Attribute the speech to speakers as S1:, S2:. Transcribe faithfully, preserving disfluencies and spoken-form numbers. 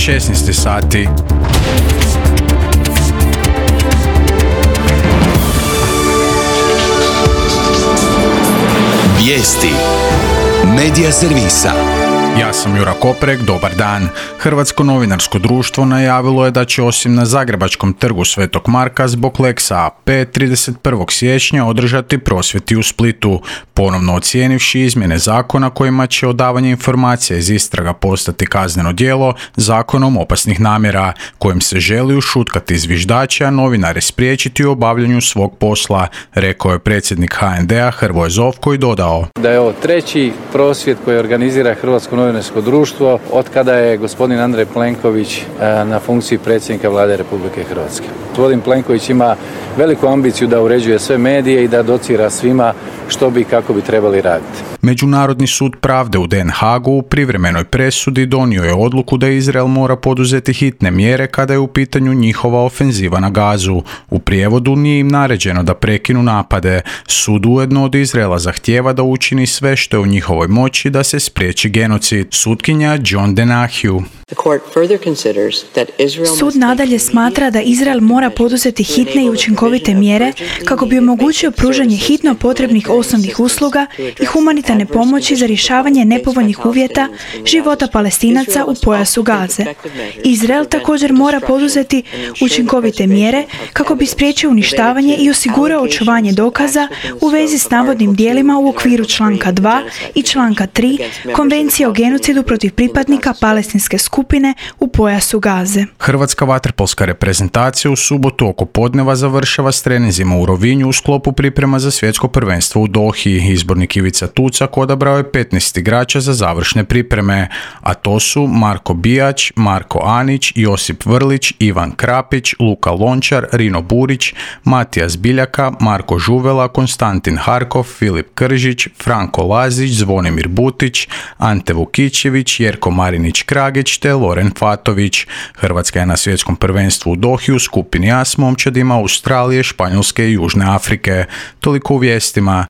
S1: šesnaest sati.
S2: Vijesti Medija servisa.
S1: Ja sam Jura Koprek, dobar dan. Hrvatsko novinarsko društvo najavilo je da će osim na Zagrebačkom trgu Svetog Marka zbog Lexa A P trideset prvog siječnja održati prosvjeti u Splitu, ponovno ocijenivši izmjene zakona kojima će odavanje informacija iz istraga postati kazneno djelo zakonom opasnih namjera, kojim se želi ušutkati zviždače, a novinare spriječiti u obavljanju svog posla, rekao je predsjednik H N D-a Hrvoje Zovko i dodao
S3: da je ovo treći prosvjed koji organizira Hrvatsko novinarsko društvo od kada je gospodin Andrej Plenković na funkciji predsjednika Vlade Republike Hrvatske. Gospodin Plenković ima veliku ambiciju da uređuje sve medije i da docira svima što bi i kako bi trebali raditi.
S1: Međunarodni sud pravde u Den Haagu u privremenoj presudi donio je odluku da Izrael mora poduzeti hitne mjere kada je u pitanju njihova ofenziva na Gazu. U prijevodu nije im naređeno da prekinu napade. Sud ujedno od Izraela zahtijeva da učini sve što je u njihovoj moći da se spriječi genocid. Sutkinja John Denahue.
S4: Sud nadalje smatra da Izrael mora poduzeti hitne i učinkovite mjere kako bi omogućio pružanje hitno potrebnih osnovnih usluga i humanitarne pomoći za rješavanje nepovoljnih uvjeta života Palestinaca u pojasu Gaze. Izrael također mora poduzeti učinkovite mjere kako bi spriječio uništavanje i osigurao očuvanje dokaza u vezi s navodnim djelima u okviru članka dva i članka tri Konvencije o genocidu protiv pripadnika palestinske skupine u pojasu Gaze.
S1: Hrvatska vaterpolska reprezentacija u subotu oko podneva završava s treninzima u Rovinju u sklopu priprema za svjetsko prvenstvo u Dohi. Izbornik Ivica Tucak odabrao je petnaest igrača za završne pripreme, a to su Marko Bijać, Marko Anić, Josip Vrlić, Ivan Krapić, Luka Lončar, Rino Burić, Matijas Biljaka, Marko Žuvela, Konstantin Harkov, Filip Kržić, Franko Lazić, Zvonimir Butić, Ante Vukićević, Jerko Marinić-Kragić te Loren Fatović. Hrvatska je na svjetskom prvenstvu u Dohi u skupini A s momčadima Australije, Španjolske i Južne Afrike. Toliko u vijestima.